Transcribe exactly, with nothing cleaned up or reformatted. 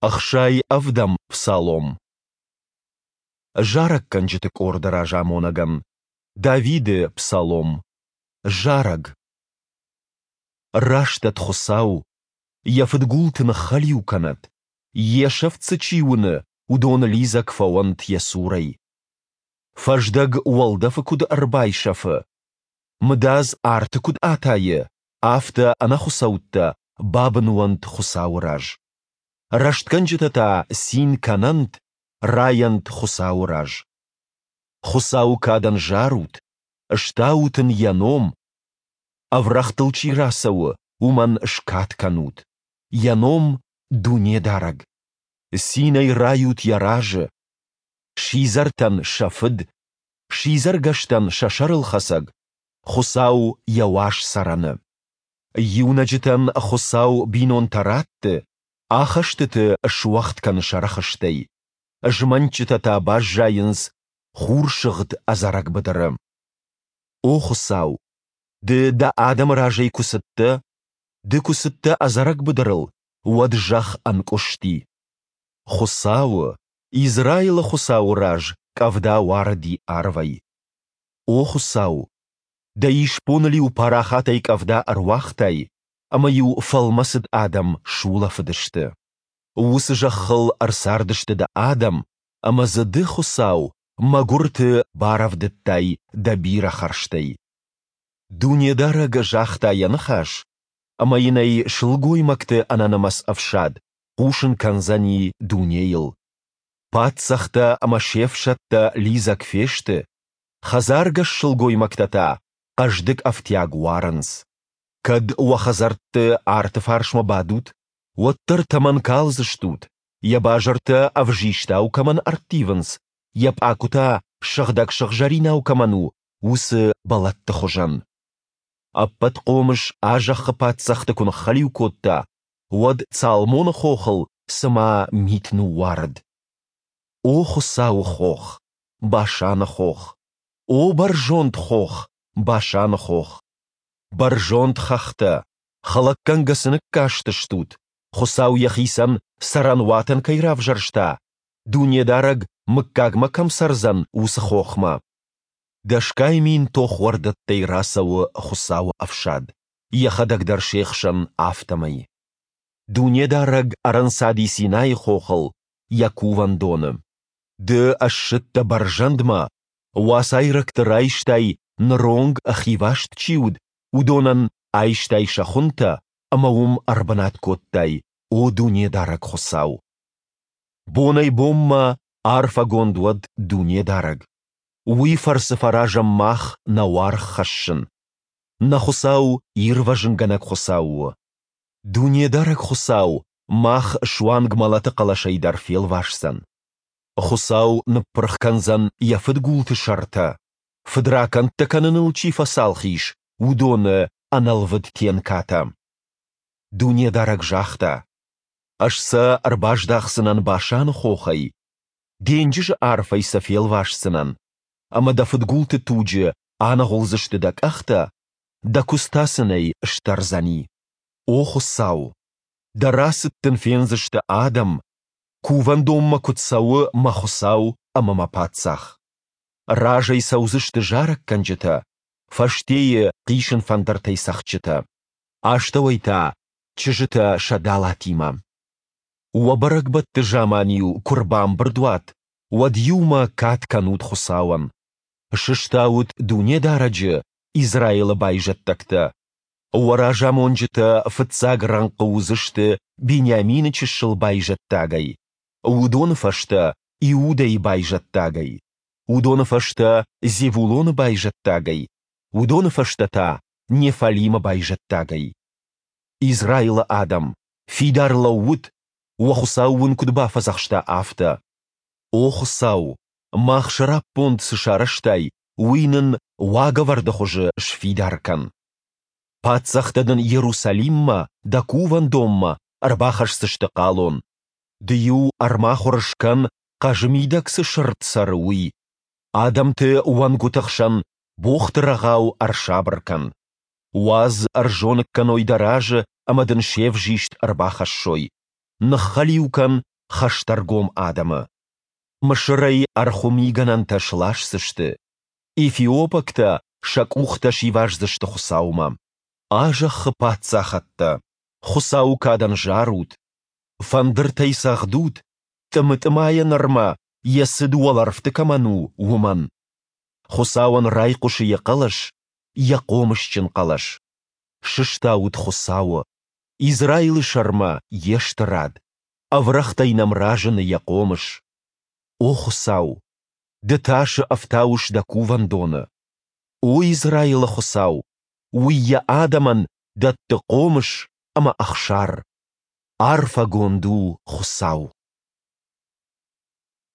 Ӕхсай ӕвдӕм псалом. Зарӕггӕнджыты къорды разамонӕгӕн. Давиды псалом. Зарӕг. Растӕд Хуыцау, йӕ фыдгулты ныххӕлиу кӕнӕд, йе сӕфт дзы чи уыны, уыдон лидзӕг фӕуӕнт йӕ цурӕй. Фӕздӕг уӕлдӕфы куыд ӕрбайсӕфы, мыдадз арты куыд атайы, афтӕ ӕнӕхуыцӕуттӕ бабын уӕнт Хуыцауы раз. Рӕстгӕнджытӕ та цин кӕнӕнт, райӕнт Хуыцауы раз. Хуыцауы кадӕн зарут, стаут ын йӕ ном, ӕврӕгътыл чи рацӕуы, уымӕн скад кӕнут, йӕ ном Дунедарӕг. Цинӕй райут йӕ разы. Сидзӕртӕн сӕ фыд, сидзӕргӕстӕн сӕ сӕрылхӕцӕг, Хуыцау йӕ уаз цӕрӕны. Иунӕджытӕн Хуыцау бинонтӕ ратты, ахӕстыты суӕгъд кӕны сӕ рӕхыстӕй, змӕнтджытӕ та баззайынц хурсыгъд ӕдзӕрӕг быдыры. О Хуыцау, Ды Дӕ адӕмы разӕй куы цыдтӕ, Ды куы цыдтӕ ӕдзӕрӕг быдырыл, уӕд зӕхх ӕнкъуысти. Хуыцауы, Израилы Хуыцауы раз къӕвда уарыди арвӕй. О Хуыцау, Дӕ исбоныл-иу парахатӕй къӕвда ӕруагътай, ӕмӕ-иу фӕлмӕцыд адӕм сулӕфыдысты. Уыцы зӕххыл ӕрцардысты Дӕ адӕм, ӕмӕ дзы Ды, Хуыцау, мӕгуырты барӕвдыдтай Дӕ бирӕ хӕрзтӕй. Дунедарӕг загъта Йӕ ныхас, ӕмӕ йын ӕй сылгоймӕгты ӕнӕнымӕц ӕфсад хъусын кӕндзӕни дунейыл. Паддзӕхтӕ ӕмӕ се фсӕдтӕ лидзӕг фесты, хӕдзаргӕс сылгоймӕгтӕ та хъӕздыг ӕфтиаг уарынц. Кӕд уӕ хӕдзӕртты арты фарсмӕ бадут, уӕддӕр тӕмӕн калдзыстут, йӕ базыртӕ ӕвзистау кӕмӕн ӕрттивынц, йӕ пъакуы та сыгъдӕг сыгъзӕринау кӕмӕн у, уыцы бӕлӕтты хуызӕн. Ӕппӕтхъомыс а зӕххы паддзӕхты куы ныххӕлиу кодта, уӕд Цалмоны хохыл цыма мит ныууарыд. О Хуыцауы хох, Башаны хох! О бӕрзонд хох, Башаны хох! Бӕрзонд хӕхтӕ, хӕлӕггӕнгӕ цы ныккастыстут, Хуыцау йӕхицӕн цӕрӕнуатӕн кӕй равзӕрста, Дунедарӕг мыггагмӕ кӕм цӕрдзӕн, уыцы хохмӕ? Дӕсгай мин тохуӕрдӕттӕй рацӕуы Хуыцауы ӕфсад, йӕхӕдӕг дӕр се хсӕн, афтӕмӕй. Дунедарӕг ӕрӕнцади Синайы хохыл, Йӕ кувӕндоны. Ды ссыдтӕ бӕрзӕндмӕ, уацайрӕгты райстай, ныронг хиваст чи уыд, уыдонӕн айстай сӕ хуынтӕ ӕмӕ уым ӕрбынат кодтай, о Дунедарӕг Хуыцау! Бонӕй-бонмӕ арфӕгонд уӕд Дунедарӕг! Уый фӕрцы фӕразӕм мах нӕ уаргъ хӕссын. Нӕ Хуыцау ирвӕзынгӕнӕг Хуыцау у. Дунедарӕг Хуыцау мах суанг мӕлӕты хъӕлӕсӕй дӕр фелвасдзӕн. Хуыцау ныппырх кӕндзӕн йӕ фыдгулты сӕртӕ, фыдракӕндтӕ кӕныныл чи фӕцалх ис, уыдоны ӕнӕлвыд тенкатӕ. Дунедарӕг загъта: Ӕз сӕ ӕрбаздахдзынӕн Башаны хохӕй, денджызы арфӕй сӕ фелвасдзынӕн, ӕмӕ дӕ фыдгулты туджы аныгъуылдзысты дӕ къӕхтӕ, дӕ куыдз та сын ӕй сдӕрдзӕни. О Хуыцау, дӕ рацыд дын фендзысты адӕм, кувӕндонмӕ куыд цӕуы мӕ Хуыцау ӕмӕ мӕ Паддзах. Разӕй цӕудзысты зарӕггӕнджытӕ, фӕстейы хъисын фӕндыртӕй цӕгъдджытӕ, астӕуӕй та чызджытӕ сӕ далатимӕ. Уӕ бӕрӕгбӕтты заман-иу куы рбамбырд уат, уӕд иумӕ кад кӕнут Хуыцауӕн. Сыстаут Дунедарӕджы, Израилы байзӕддӕгтӕ. Уӕ разамонджытӕ фыццаг рӕнхъы уыдзысты Бениамины чысыл байзӕддагӕй, уыдоны фӕстӕ Иудӕйы байзӕддагӕй, уыдоны фӕстӕ Зевулоны байзӕддагӕй, уыдоны фӕстӕ та Неффалимы байзӕддагӕй. Израилы адӕм, фидар лӕуут, уӕ Хуыцау уын куыд бафӕдзӕхста, афтӕ. О Хуыцау, мах сӕраппонд цы сарӕзтай, уый нын уагӕвӕрды хуызы сфидар кӕн. Паддзӕхтӕ дын Иерусалиммӕ, дӕ кувӕндонмӕ, ӕрбахӕсдзысты хъалон. Ды-иу ӕрмахуыр скӕн, хъӕзы мидӕг цы сырд цӕры, уый. Адӕмты уӕнгуыты хсӕн богъты рӕгъау ӕрсабыр кӕн. Уадз ӕрзоныг кӕной дӕ разы ӕмӕ дын се взист ӕрбахӕссой. Ныххӕлиу кӕн хӕстӕргом адӕмы. Мысырӕй ӕрхуы мигӕнӕнтӕ сласдзысты. Эфиопӕгтӕ сӕ къухтӕ сиваздзысты Хуыцаумӕ. А зӕххы паддзахӕдтӕ, Хуыцауы кадӕн зарут! Фӕндыртӕй цӕгъдут, тъымы-тъымайӕ нырмӕ йӕ цыд уӕлӕрвты кӕмӕн у, уымӕн. Хуыцауӕн райхъуысы йӕ хъӕлӕс, йӕ хъомысджын хъӕлӕс. Сыстаут Хуыцауы, Израилы сӕрмӕ йе стырад, ӕврӕгътӕй нӕм разыны йӕ хъомыс. О Хуыцау, Ды тасы ӕфтауыс дӕ кувӕндоны. О Израилы Хуыцау, уый йӕ адӕмӕн дӕтты хъомыс ӕмӕ ӕхсар. Арфӕгонд у Хуыцау!